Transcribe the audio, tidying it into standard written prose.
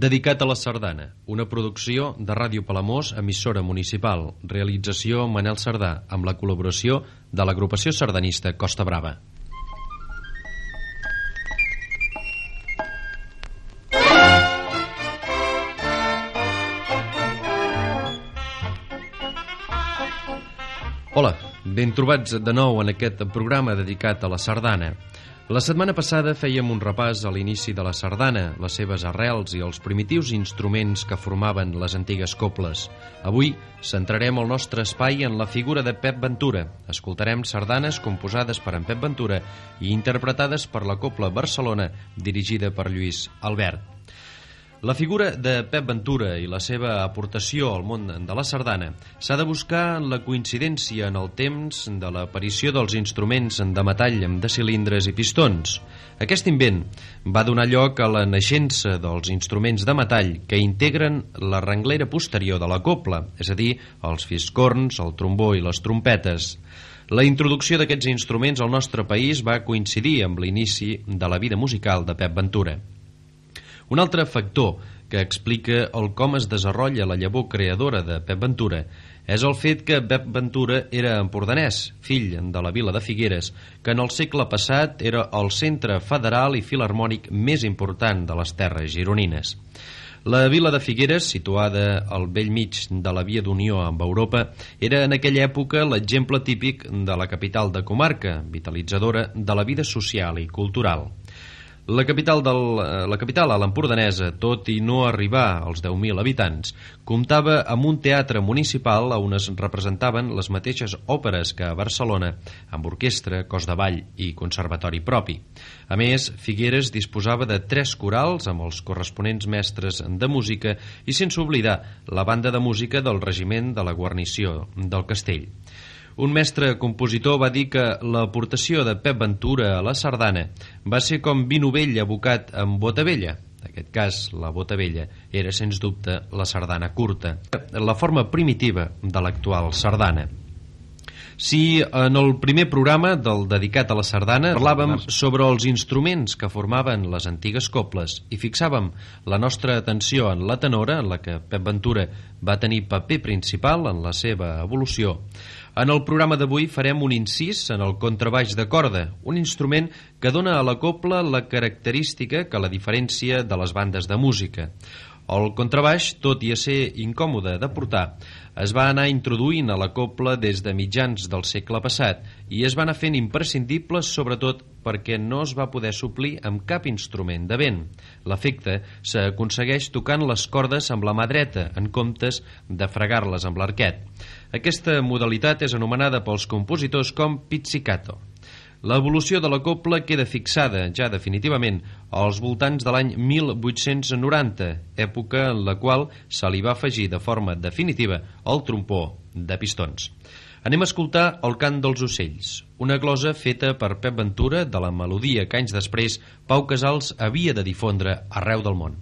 Dedicat a la sardana, una producció de Ràdio Palamós, emissora municipal, realització Manel Sardà, amb la col·laboració de l'agrupació sardanista Costa Brava. Hola, ben trobats de nou en aquest programa dedicat a la sardana. La setmana passada fèiem un repàs a l'inici de la sardana, les seves arrels i els primitius instruments que formaven les antigues coples. Avui centrarem el nostre espai en la figura de Pep Ventura. Escoltarem sardanes composades per en Pep Ventura i interpretades per la Copla Barcelona, dirigida per Lluís Albert. La figura de Pep Ventura i la seva aportació al món de la sardana s'ha de buscar en la coincidència en el temps de l'aparició dels instruments de metall de cilindres i pistons. Aquest invent va donar lloc a la naixença dels instruments de metall que integren la renglera posterior de la copla, és a dir, els fiscorns, el trombó i les trompetes. La introducció d'aquests instruments al nostre país va coincidir amb l'inici de la vida musical de Pep Ventura. Un altre factor que explica el com es desenvolupa la llavor creadora de Pep Ventura és el fet que Pep Ventura era empordanès, fill de la vila de Figueres, que en el segle passat era el centre federal i filharmònic més important de les terres gironines. La vila de Figueres, situada al bell mig de la via d'unió amb Europa, era en aquella època l'exemple típic de la capital de comarca, vitalitzadora de la vida social i cultural. La capital a l'empordanesa, tot i no arribar als 10.000 habitants, comptava amb un teatre municipal on es representaven les mateixes òperes que a Barcelona, amb orquestra, cos de ball i conservatori propi. A més, Figueres disposava de 3 corals amb els corresponents mestres de música i sense oblidar la banda de música del regiment de la guarnició del castell. Un mestre compositor va dir que l'aportació de Pep Ventura a la sardana va ser com vi novell abocat amb bota vella. En aquest cas, la bota vella era, sens dubte, la sardana curta, la forma primitiva de l'actual sardana. Si en el primer programa del dedicat a la sardana parlàvem sobre els instruments que formaven les antigues coples i fixàvem la nostra atenció en la tenora, en la que Pep Ventura va tenir paper principal en la seva evolució, en el programa d'avui farem un incís en el contrabaix de corda, un instrument que dona a la copla la característica que la diferencia de les bandes de música. El contrabaix, tot i a ser incòmode de portar, es va anar introduint a la copla des de mitjans del segle passat i es va anar fent imprescindible sobretot perquè no es va poder suplir amb cap instrument de vent. L'efecte s'aconsegueix tocant les cordes amb la mà dreta en comptes de fregar-les amb l'arquet. Aquesta modalitat és anomenada pels compositors com pizzicato. L'evolució de la copla queda fixada, ja definitivament, als voltants de l'any 1890, època en la qual se li va afegir de forma definitiva el trompó de pistons. Anem a escoltar el cant dels ocells, una glosa feta per Pep Ventura de la melodia que anys després Pau Casals havia de difondre arreu del món.